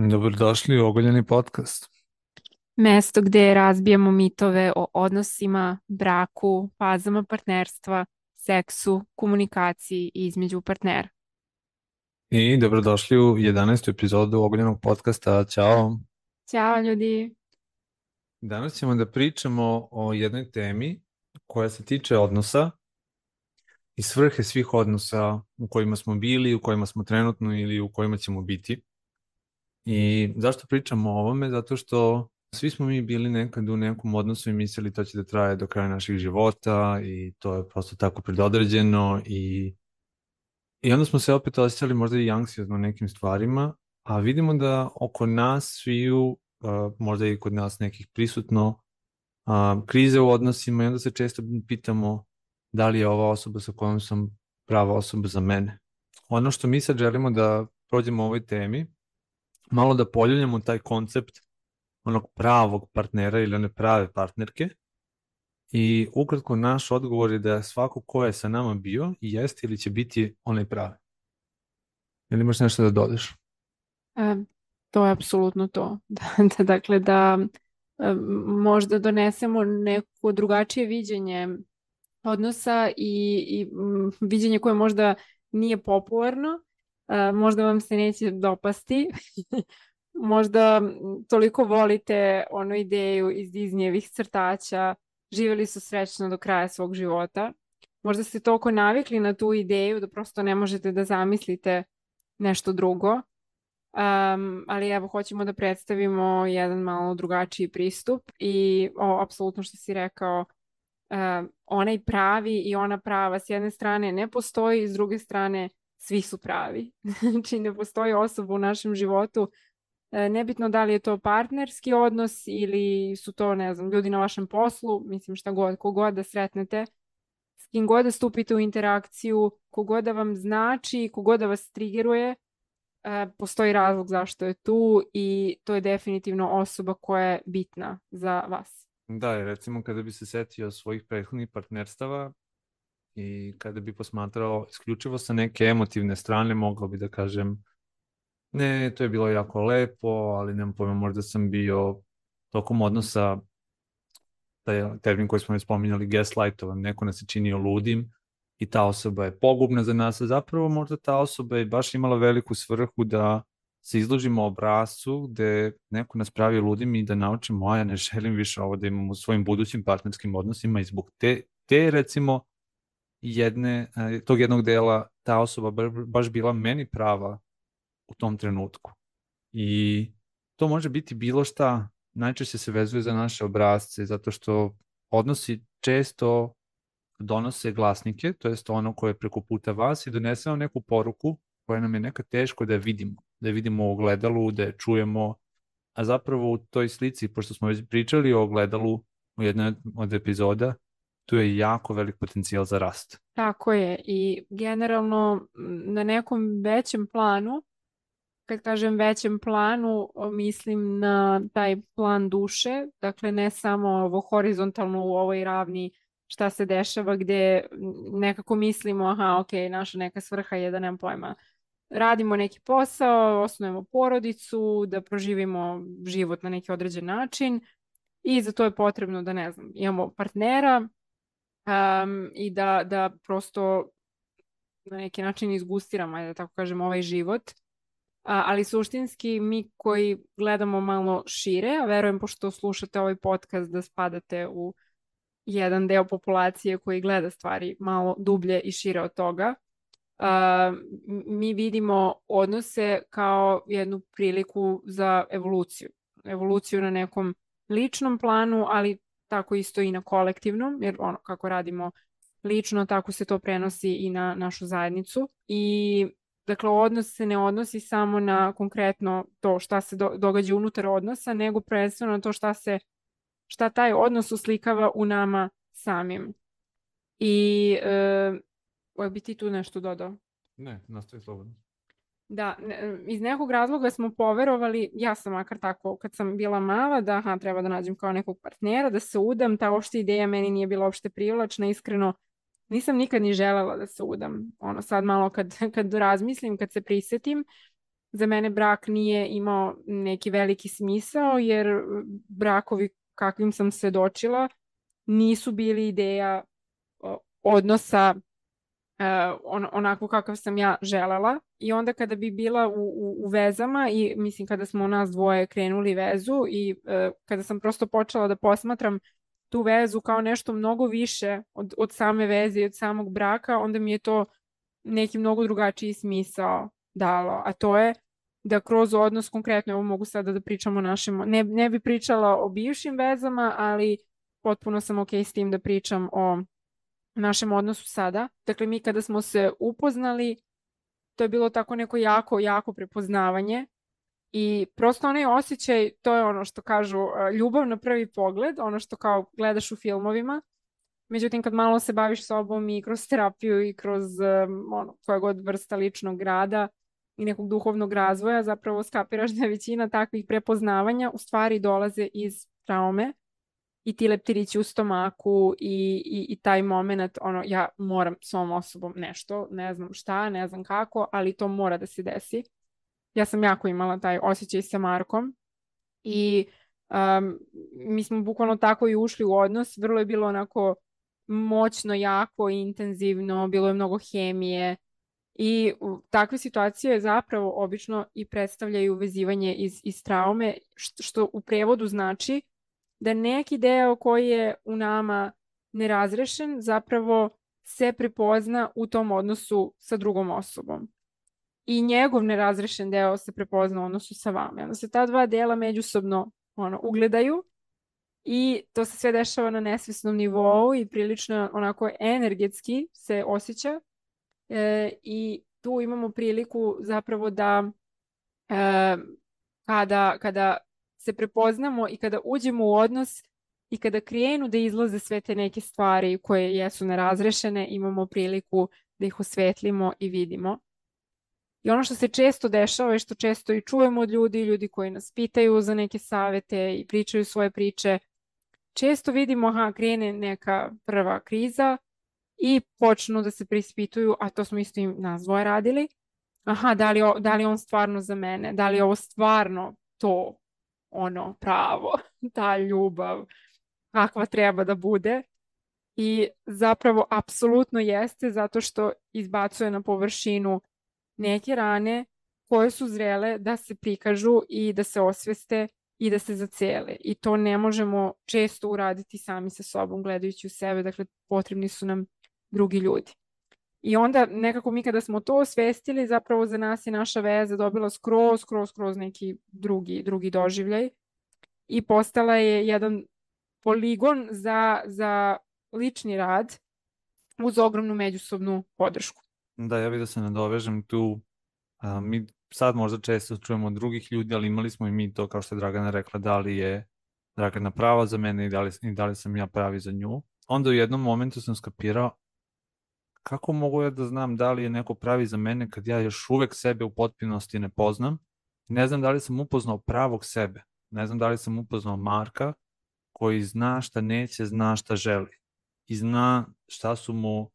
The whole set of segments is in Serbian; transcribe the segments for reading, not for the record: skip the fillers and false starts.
Dobrodošli u Ogoljeni podcast. Mesto gde razbijamo mitove o odnosima, braku, fazama partnerstva, seksu, komunikaciji između partnera. I dobrodošli u 11. epizodu Ogoljenog podcasta. Ćao. Ćao ljudi! Danas ćemo da pričamo o jednoj temi koja se tiče odnosa i svrhe svih odnosa u kojima smo bili, u kojima smo trenutno ili u kojima ćemo biti. I zašto pričamo o ovome? Zato što svi smo mi bili nekad u nekom odnosu i mislili to će da traje do kraja naših života i to je prosto tako predodređeno i onda smo se opet osjećali možda i anksiozno nekim stvarima, a vidimo da oko nas sviju, možda i kod nas nekih prisutno, krize u odnosima i onda se često pitamo da li je ova osoba sa kojom sam prava osoba za mene. Ono što mi sad želimo da prođemo u ovoj temi, malo da poljuljamo taj koncept onog pravog partnera ili one prave partnerke i ukratko naš odgovor je da svako ko je sa nama bio i jeste ili će biti onaj pravi. Ili imaš nešto da dodeš? E, To je apsolutno to. Dakle, da možda donesemo neko drugačije viđenje odnosa i viđenje koje možda nije popularno, možda vam se neće dopasti. Možda toliko volite onu ideju iz Disneyevih crtaća, živjeli su srećno do kraja svog života. Možda ste toliko navikli na tu ideju da prosto ne možete da zamislite nešto drugo. Ali evo, hoćemo da predstavimo jedan malo drugačiji pristup i apsolutno što si rekao, onaj pravi i ona prava s jedne strane ne postoji, s druge strane svi su pravi. Znači ne postoji osoba u našem životu, nebitno da li je to partnerski odnos ili su to, ne znam, ljudi na vašem poslu, mislim šta god, kogod da sretnete, s kim god da stupite u interakciju, kogod da vam znači, kogod da vas trigeruje, postoji razlog zašto je tu i to je definitivno osoba koja je bitna za vas. Da, i recimo kada bi se setio svojih prethodnih partnerstava i kada bi posmatrao isključivo sa neke emotivne strane, mogao bi da kažem ne, to je bilo jako lepo, ali nemam pojma, možda sam bio tokom odnosa, taj termin koji smo već spominjali, gaslightovan, neko nas je činio ludim i ta osoba je pogubna za nas, a zapravo možda ta osoba je baš imala veliku svrhu da se izložimo obrascu gde neko nas pravi ludim i da naučimo, a ja ne želim više ovo da imam u svojim budućim partnerskim odnosima i zbog te recimo tog jednog dela ta osoba baš bila meni prava u tom trenutku. I to može biti bilo šta, najčešće se vezuje za naše obrazce, zato što odnosi često donose glasnike, to jest ono koje je preko puta vas i donese vam neku poruku koja nam je nekad teško da je vidimo u ogledalu, da je čujemo, a zapravo u toj slici, pošto smo već pričali o ogledalu u jednoj od epizoda, tu je jako velik potencijal za rast. Tako je i generalno na nekom većem planu, kad kažem većem planu, mislim na taj plan duše, dakle ne samo ovo horizontalno u ovoj ravni šta se dešava gde nekako mislimo, aha, ok, naša neka svrha je da nemam pojma, radimo neki posao, osnujemo porodicu, da proživimo život na neki određen način i za to je potrebno da, ne znam, imamo partnera, i da prosto na neki način izgustiramo, ajde da tako kažem, ovaj život. Ali suštinski mi koji gledamo malo šire, a verujem pošto slušate ovaj podcast da spadate u jedan deo populacije koji gleda stvari malo dublje i šire od toga, mi vidimo odnose kao jednu priliku za evoluciju. Evoluciju na nekom ličnom planu, ali tako isto i na kolektivnom, jer ono kako radimo lično, tako se to prenosi i na našu zajednicu. I dakle, odnos se ne odnosi samo na konkretno to šta se događa unutar odnosa, nego prvenstveno na to šta taj odnos uslikava u nama samim. I bi ti tu nešto dodao? Ne, nastavi slobodno. Da, iz nekog razloga smo poverovali, ja sam makar tako kad sam bila mala, da aha, treba da nađem kao nekog partnera, da se udam, ta uopšte ideja meni nije bila uopšte privlačna, iskreno nisam nikad ni želela da se udam. Ono sad malo kad razmislim, kad se prisetim, za mene brak nije imao neki veliki smisao, jer brakovi kakvim sam svedočila nisu bili ideja odnosa onako kakav sam ja želela. I onda kada bi bila u vezama i mislim kada smo nas dvoje krenuli vezu i kada sam prosto počela da posmatram tu vezu kao nešto mnogo više od same veze i od samog braka, onda mi je to neki mnogo drugačiji smisao dalo, a to je da kroz odnos, konkretno, evo mogu sada da pričam o našim, ne bi pričala o bivšim vezama, ali potpuno sam ok s tim da pričam o našem odnosu sada. Dakle, mi kada smo se upoznali, to je bilo tako neko jako, jako prepoznavanje i prosto onaj osjećaj, to je ono što kažu ljubav na prvi pogled, ono što kao gledaš u filmovima. Međutim, kad malo se baviš sobom i kroz terapiju i kroz koja god vrsta ličnog rada i nekog duhovnog razvoja, zapravo skapiraš da je većina takvih prepoznavanja u stvari dolaze iz traume i ti leptirići u stomaku i taj moment, ja moram s ovom osobom nešto, ne znam šta, ne znam kako, ali to mora da se desi. Ja sam jako imala taj osjećaj sa Markom i mi smo bukvalno tako i ušli u odnos. Vrlo je bilo onako moćno, jako, intenzivno, bilo je mnogo hemije i takve situacije zapravo obično i predstavljaju vezivanje iz traume, što u prevodu znači da neki deo koji je u nama nerazrešen zapravo se prepozna u tom odnosu sa drugom osobom. I njegov nerazrešen deo se prepozna u odnosu sa vama. Onda se ta dva dela međusobno ugledaju i to se sve dešava na nesvesnom nivou i prilično onako energetski se osjeća. I tu imamo priliku zapravo da kada se prepoznamo i kada uđemo u odnos i kada krenu da izlaze sve te neke stvari koje jesu nerazrešene, imamo priliku da ih osvetlimo i vidimo. I ono što se često dešava i što često i čujemo od ljudi koji nas pitaju za neke savete i pričaju svoje priče, često vidimo, krene neka prva kriza i počnu da se preispituju, a to smo isto i nas dvoje radili. Da li je on stvarno za mene? Da li je ovo stvarno to pravo, ta ljubav, kakva treba da bude? I zapravo apsolutno jeste, zato što izbacuje na površinu neke rane koje su zrele da se prikažu i da se osveste i da se zacele. I to ne možemo često uraditi sami sa sobom, gledajući u sebe. Dakle, potrebni su nam drugi ljudi. I onda nekako mi kada smo to osvestili, zapravo za nas je naša veza dobila skroz neki drugi doživljaj i postala je jedan poligon za lični rad uz ogromnu međusobnu podršku. Da, ja bih da se nadovežem tu. Mi sad možda često čujemo od drugih ljudi, ali imali smo i mi to, kao što je Dragana rekla, da li je Dragana prava za mene i da li sam ja pravi za nju. Onda u jednom momentu sam skapirao kako mogu ja da znam da li je neko pravi za mene kad ja još uvek sebe u potpunosti ne poznam. Ne znam da li sam upoznao pravog sebe. Ne znam da li sam upoznao Marka koji zna šta neće, zna šta želi. I zna šta su mu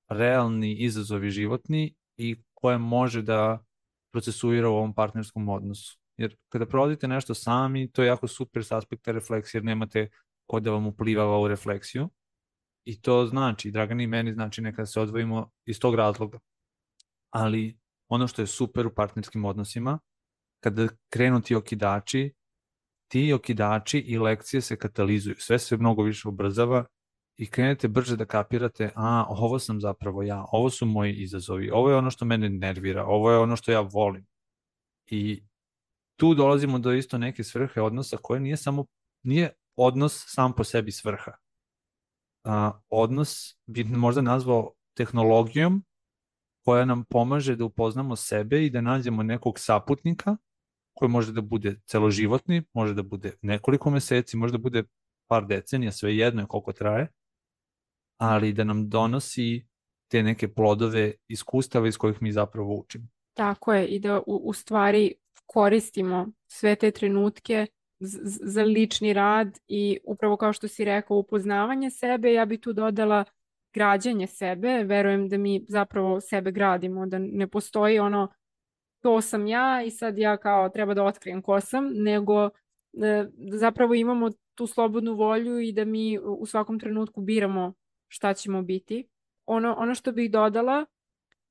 realni izazovi životni i koje može da procesuira u ovom partnerskom odnosu. Jer kada provodite nešto sami, to je jako super s aspekta refleksije, jer nemate ko da vam uplivava u refleksiju. I to znači, Dragani i meni znači nekada se odvojimo iz tog razloga. Ali ono što je super u partnerskim odnosima, kada krenu ti okidači i lekcije se katalizuju. Sve se mnogo više ubrzava i krenete brže da kapirate, ovo sam zapravo ja, ovo su moji izazovi, ovo je ono što mene nervira, ovo je ono što ja volim. I tu dolazimo do isto neke svrhe odnosa koje nije odnos sam po sebi svrha. Odnos bi možda nazvao tehnologijom koja nam pomaže da upoznamo sebe i da nađemo nekog saputnika koji može da bude celoživotni, može da bude nekoliko meseci, može da bude par decenija, sve jedno je koliko traje, ali da nam donosi te neke plodove iskustava iz kojih mi zapravo učimo. Tako je, i da u stvari koristimo sve te trenutke za lični rad i upravo kao što si rekao, upoznavanje sebe. Ja bi tu dodala građenje sebe. Verujem da mi zapravo sebe gradimo, da ne postoji to sam ja i sad ja kao treba da otkrijem ko sam, nego zapravo imamo tu slobodnu volju i da mi u svakom trenutku biramo šta ćemo biti. Ono što bih dodala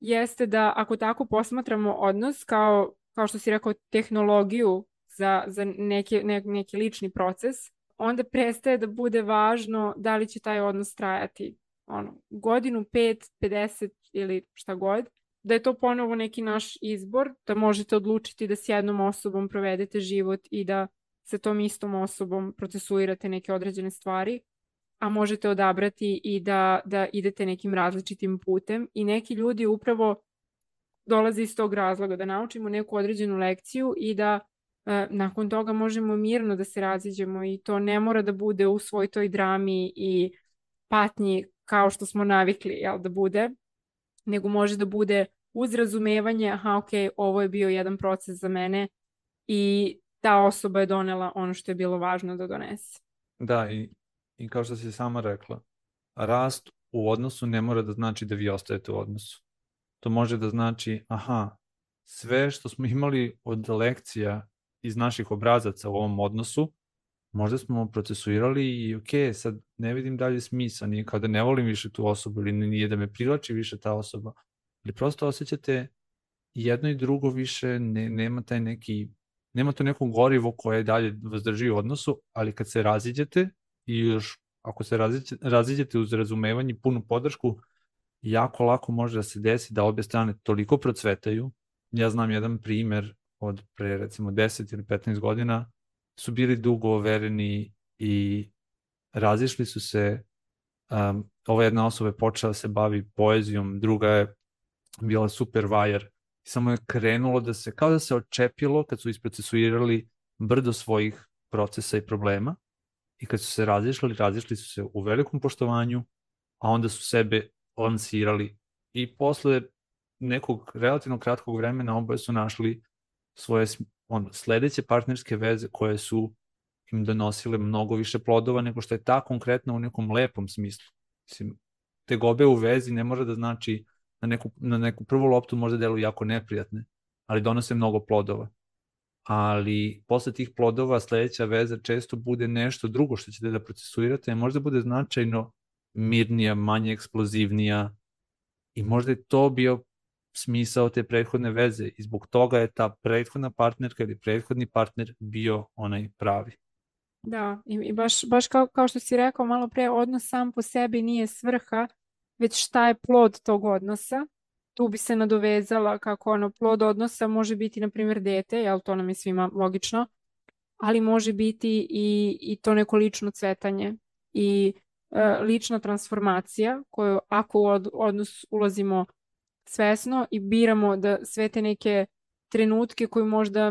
jeste da ako tako posmatramo odnos kao što si rekao tehnologiju za neki lični proces, onda prestaje da bude važno da li će taj odnos trajati godinu, 5, 50 ili šta god, da je to ponovo neki naš izbor, da možete odlučiti da s jednom osobom provedete život i da sa tom istom osobom procesuirate neke određene stvari, a možete odabrati i da idete nekim različitim putem i neki ljudi upravo dolaze iz tog razloga da naučimo neku određenu lekciju i da nakon toga možemo mirno da se raziđemo i to ne mora da bude u svoj toj drami i patnji kao što smo navikli da bude, nego može da bude uz razumevanje, aha, ok, ovo je bio jedan proces za mene i ta osoba je donela ono što je bilo važno da donese. Da, i kao što si sama rekla, rast u odnosu ne mora da znači da vi ostajete u odnosu. To može da znači, aha, sve što smo imali od lekcija iz naših obrazaca u ovom odnosu, možda smo procesuirali i ok, sad ne vidim dalje smisla, nije kao da ne volim više tu osobu ili nije da me privlači više ta osoba, ali prosto osjećate jedno i drugo više, nema to neko gorivo koje dalje vas drži u odnosu, ali kad se raziđete i još ako se raziđete uz razumevanje i punu podršku, jako lako može da se desi da obje strane toliko procvetaju. Ja znam jedan primer od pre recimo 10 ili 15 godina, su dugo overeni i razišli su se. Ova jedna osoba je počela da se bavi poezijom, druga je bila super vajar. Samo je krenulo da se, kao da se očepilo kad su isprocesuirali brdo svojih procesa i problema i kad su se razišli su se u velikom poštovanju, a onda su sebe lansirali i posle nekog relativno kratkog vremena oboje su našli svoje sledeće partnerske veze koje su im donosile mnogo više plodova nego što je ta konkretna u nekom lepom smislu. Mislim, tegobe u vezi ne može da znači na neku prvu loptu možda deluju jako neprijatne, ali donose mnogo plodova. Ali posle tih plodova sledeća veza često bude nešto drugo što ćete da procesuirate, možda bude značajno mirnija, manje eksplozivnija i možda je to bio smisao te prethodne veze i zbog toga je ta prethodna partnerka ili prethodni partner bio onaj pravi. Da, i baš kao što si rekao malo pre, odnos sam po sebi nije svrha, već šta je plod tog odnosa. Tu bi se nadovezala kako plod odnosa može biti, na primjer, dete, jel to nam je svima logično, ali može biti i to neko lično cvetanje i lična transformacija koju ako u odnos ulazimo svesno i biramo da sve te neke trenutke koji možda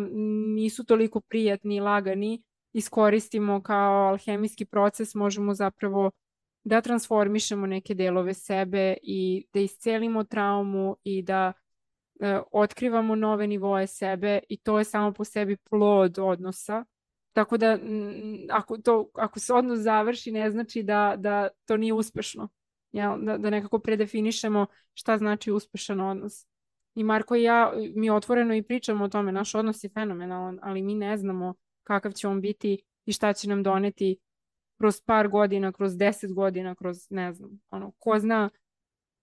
nisu toliko prijatni i lagani iskoristimo kao alhemijski proces, možemo zapravo da transformišemo neke delove sebe i da iscelimo traumu i da otkrivamo nove nivoe sebe i to je samo po sebi plod odnosa. Tako da ako se odnos završi ne znači da to nije uspešno. Da nekako predefinišemo šta znači uspešan odnos. I Marko i ja, mi otvoreno i pričamo o tome, naš odnos je fenomenalan, ali mi ne znamo kakav će on biti i šta će nam doneti kroz par godina, kroz 10 godina, kroz ne znam, ko zna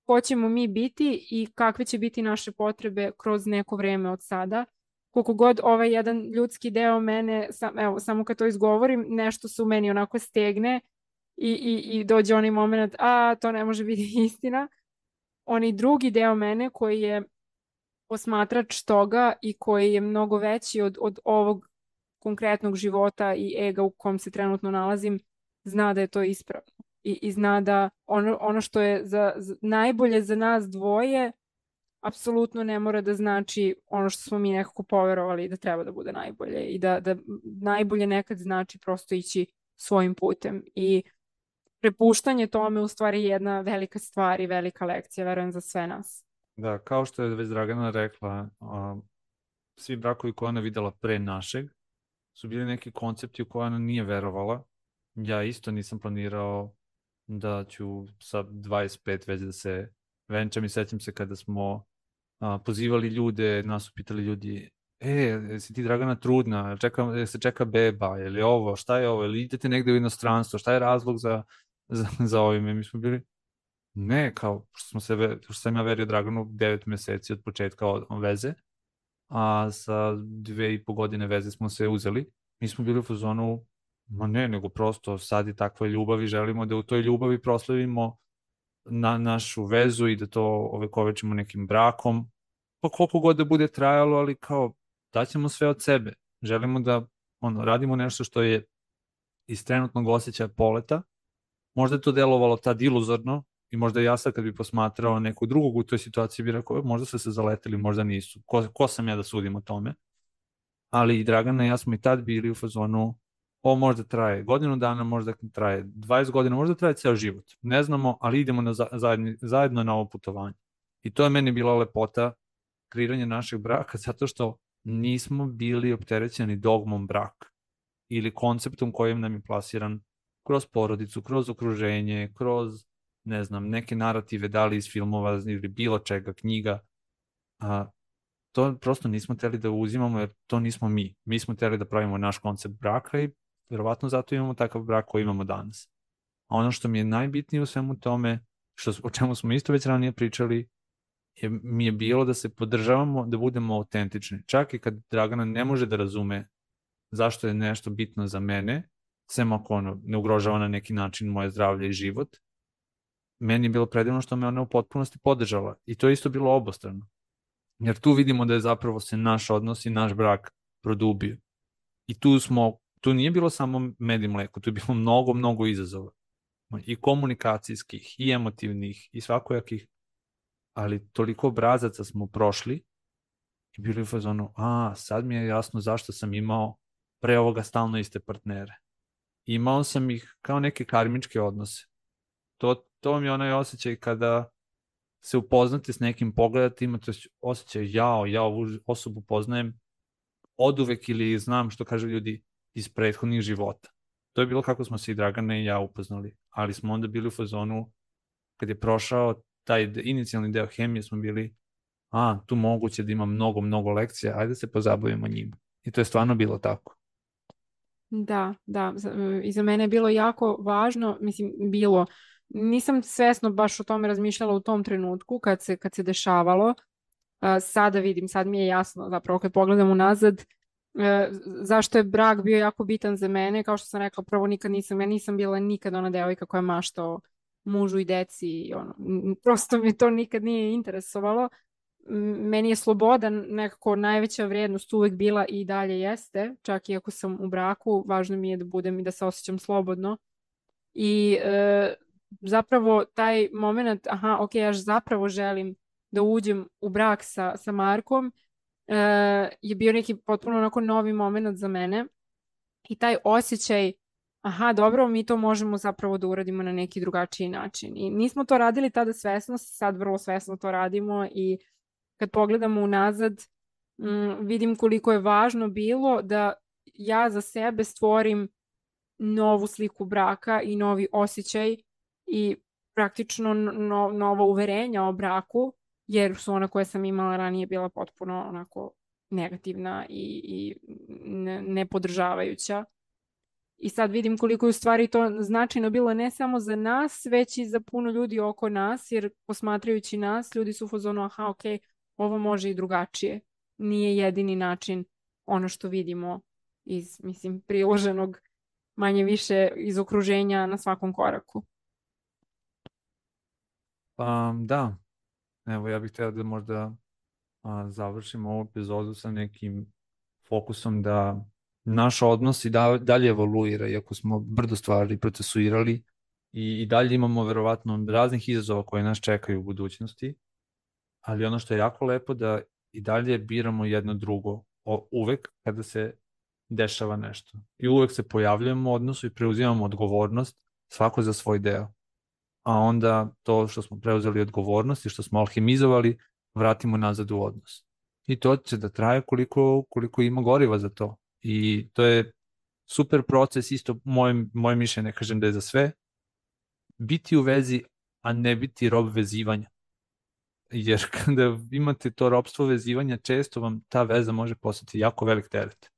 ko ćemo mi biti i kakve će biti naše potrebe kroz neko vreme od sada. Koliko god ovaj jedan ljudski deo mene, samo kad to izgovorim, nešto se u meni onako stegne i dođe onaj moment, to ne može biti istina. Onaj drugi deo mene koji je posmatrač toga i koji je mnogo veći od ovog konkretnog života i ega u kom se trenutno nalazim, zna da je to ispravno. I zna da ono što je najbolje za nas dvoje apsolutno ne mora da znači ono što smo mi nekako poverovali da treba da bude najbolje i da najbolje nekad znači prosto ići svojim putem i prepuštanje tome u stvari je jedna velika stvar i velika lekcija, verujem, za sve nas. Da, kao što je već Dragana rekla, svi brakovi koje ona videla pre našeg su bili neki koncepti u koje ona nije verovala. Ja isto nisam planirao da ću sa 25 već da se venčam i sećam se kada smo pozivali ljude, nas su pitali ljudi, jesi ti Dragana trudna, se čeka beba, je li ovo, šta je ovo, ili idete negde u inostranstvo, šta je razlog za ovime, mi smo bili, ne, kao, što sam ja verio Draganu 9 meseci od početka veze, a sa 2,5 godine veze smo se uzeli, mi smo bili u fazonu, ma ne, nego prosto sad je takva ljubav i želimo da u toj ljubavi proslavimo na našu vezu i da to ovekovečimo nekim brakom, pa koliko god da bude trajalo, ali kao daćemo sve od sebe. Želimo da radimo nešto što je iz trenutnog osjećaja poleta. Možda je to delovalo tad iluzorno i možda ja sad kad bi posmatrao nekog drugog u toj situaciji bi rekao, možda su se zaleteli, možda nisu. Ko sam ja da sudim o tome? Ali i Dragana i ja smo i tad bili u fazonu, ovo možda traje godinu dana, možda traje 20 godina, možda traje ceo život. Ne znamo, ali idemo zajedno na ovo putovanje. I to je meni bila lepota kreiranja našeg braka, zato što nismo bili opterećeni dogmom braka ili konceptom kojim nam je plasiran kroz porodicu, kroz okruženje, kroz, ne znam, neke narative, da li iz filmova ili bilo čega, knjiga. To prosto nismo teli da uzimamo, jer to nismo mi. Mi smo teli da pravimo naš koncept braka i verovatno zato imamo takav brak koji imamo danas. A ono što mi je najbitnije u svemu tome, o čemu smo isto već ranije pričali, mi je bilo da se podržavamo, da budemo autentični. Čak i kad Dragana ne može da razume zašto je nešto bitno za mene, sem ako ne ugrožava na neki način moje zdravlje i život, meni je bilo predivno što me ona u potpunosti podržala. I to je isto bilo obostrano. Jer tu vidimo da je zapravo se naš odnos i naš brak produbio. I tu nije bilo samo med i mleko, tu je bilo mnogo, mnogo izazova. I komunikacijskih, i emotivnih, i svakojakih, ali toliko obrazaca smo prošli i bili u fazonu, sad mi je jasno zašto sam imao pre ovoga stalno iste partnere. Imao sam ih kao neke karmičke odnose. To mi je onaj osjećaj kada se upoznate s nekim, pogledate, imate osjećaj, ja ovu osobu poznajem oduvek ili znam, što kažu ljudi, iz prethodnih života. To je bilo kako smo se i Dragana i ja upoznali, ali smo onda bili u fazonu, kad je prošao taj inicijalni deo hemije, smo bili, tu moguće da ima mnogo, mnogo lekcija, ajde se pozabavimo njima. I to je stvarno bilo tako. Da, i za mene je bilo jako važno, nisam svesno baš o tome razmišljala u tom trenutku kad se dešavalo. Sada vidim, sad mi je jasno, zapravo kad pogledam unazad, zašto je brak bio jako bitan za mene. Kao što sam rekla, prvo ja nisam bila nikad ona devojka koja mašta o mužu i deci, prosto mi to nikad nije interesovalo. Meni je sloboda nekako najveća vrednost uvek bila i dalje jeste, čak i ako sam u braku, važno mi je da budem i da se osjećam slobodno. I zapravo taj moment, ja zapravo želim da uđem u brak sa Markom, je bio neki potpuno onako novi moment za mene. I taj osjećaj, dobro, mi to možemo zapravo da uradimo na neki drugačiji način. I nismo to radili tada svesno, sad vrlo svesno to radimo i kad pogledamo unazad, vidim koliko je važno bilo da ja za sebe stvorim novu sliku braka i novi osjećaj i praktično nova uverenja o braku, jer su ona koja sam imala ranije bila potpuno onako negativna i nepodržavajuća. I sad vidim koliko je u stvari to značajno bilo ne samo za nas, već i za puno ljudi oko nas, jer posmatrajući nas, ljudi su u fazonu, ovo može i drugačije. Nije jedini način ono što vidimo iz, priloženog manje više iz okruženja na svakom koraku. Da, evo ja bih htio da možda završimo ovu epizodu sa nekim fokusom da naš odnos i dalje evoluira, iako smo brdo stvari procesuirali i dalje imamo verovatno raznih izazova koje nas čekaju u budućnosti, ali ono što je jako lepo da i dalje biramo jedno drugo uvek kada se dešava nešto. I uvek se pojavljujemo u odnosu i preuzimamo odgovornost svako za svoj deo. A onda to što smo preuzeli odgovornost i što smo alhemizovali, vratimo nazad u odnos. I to će da traje koliko ima goriva za to. I to je super proces, isto moje mišljenje, ne kažem da je za sve, biti u vezi, a ne biti rob vezivanja. jer kada imate to ropstvo vezivanja, često vam ta veza može postati jako velik teret.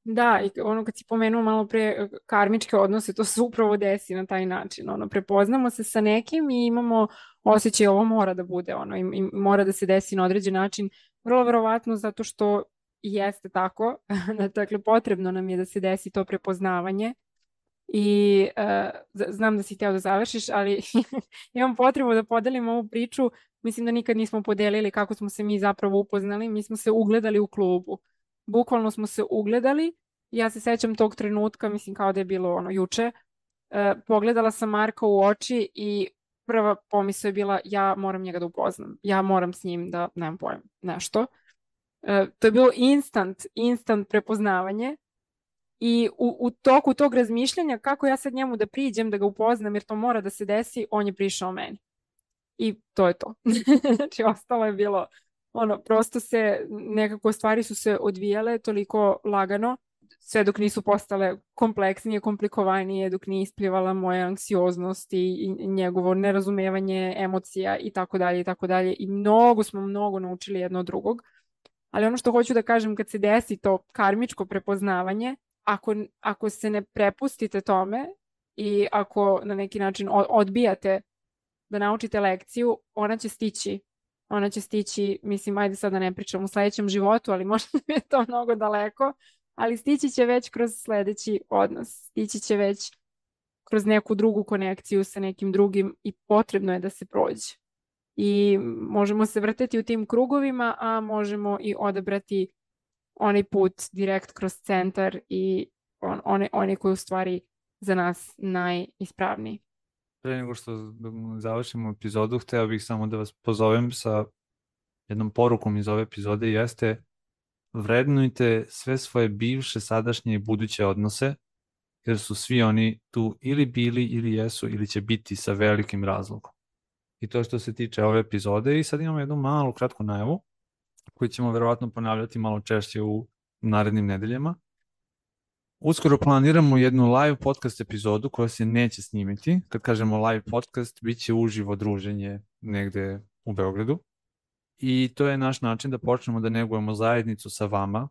Da, i ono kad si pomenuo malo pre karmičke odnose, to se upravo desi na taj način. Ono, prepoznamo se sa nekim i imamo osjećaj ovo mora da bude, ono, i mora da se desi na određen način. Vrlo verovatno zato što jeste tako. Dakle, potrebno nam je da se desi to prepoznavanje. I znam da si hteo da završiš, ali imam potrebu da podelim ovu priču. Mislim da nikad nismo podelili kako smo se mi zapravo upoznali. Mi smo se ugledali u klubu. Bukvalno smo se ugledali. Ja se sećam tog trenutka, mislim kao da je bilo ono juče. Pogledala sam Marka u oči i prva pomisao je bila ja moram njega da upoznam. Ja moram s njim da, nemam pojem, nešto. To je bilo instant prepoznavanje. I u toku tog razmišljanja kako ja sad njemu da priđem, da ga upoznam jer to mora da se desi, on je prišao meni. I to je to. Znači, ostalo je bilo, ono, prosto se, nekako stvari su se odvijale toliko lagano, sve dok nisu postale kompleksnije, komplikovanije, dok nije isplivala moja anksioznost i njegovo nerazumevanje emocija i tako dalje i tako dalje. I mnogo naučili jedno od drugog. Ali ono što hoću da kažem, kad se desi to karmičko prepoznavanje, ako se ne prepustite tome i ako na neki način odbijate da naučite lekciju, ona će stići. Ona će stići, mislim, ajde sad da ne pričam u sledećem životu, ali možda mi je to mnogo daleko, ali stići će već kroz sledeći odnos. Stići će već kroz neku drugu konekciju sa nekim drugim i potrebno je da se prođe. I možemo se vrteti u tim krugovima, a možemo i odabrati onaj put direkt kroz centar i onaj koji je u stvari za nas najispravniji. Pre nego što završimo epizodu, hteo bih samo da vas pozovem sa jednom porukom iz ove epizode, jeste vrednujte sve svoje bivše, sadašnje i buduće odnose, jer su svi oni tu ili bili, ili jesu, ili će biti sa velikim razlogom. I to što se tiče ove epizode. I sad imamo jednu malu kratku najavu koju ćemo verovatno ponavljati malo češće u narednim nedeljama. Uskoro planiramo jednu live podcast epizodu koja se neće snimiti. Kad kažemo live podcast, bit će uživo druženje negde u Beogradu. I to je naš način da počnemo da negujemo zajednicu sa vama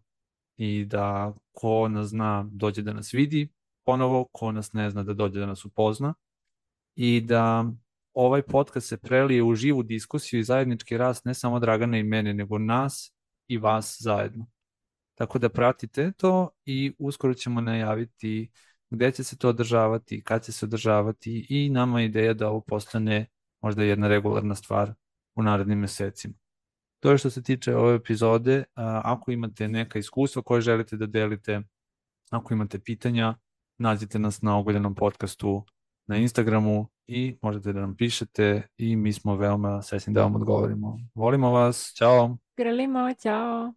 i da ko nas zna dođe da nas vidi ponovo, ko nas ne zna da dođe da nas upozna i da ovaj podcast se prelije u živu diskusiju i zajednički rast ne samo Dragana i mene, nego nas i vas zajedno. Tako da pratite to i uskoro ćemo najaviti gde će se to održavati, kad će se održavati i nama je ideja da ovo postane možda jedna regularna stvar u narednim mesecima. To je što se tiče ove epizode. Ako imate neka iskustva koje želite da delite, ako imate pitanja, nađite nas na Ogoljenom podcastu na Instagramu i možete da nam pišete i mi smo veoma srećni da vam odgovorimo. Volimo vas, ćao! Grlimo, ćao!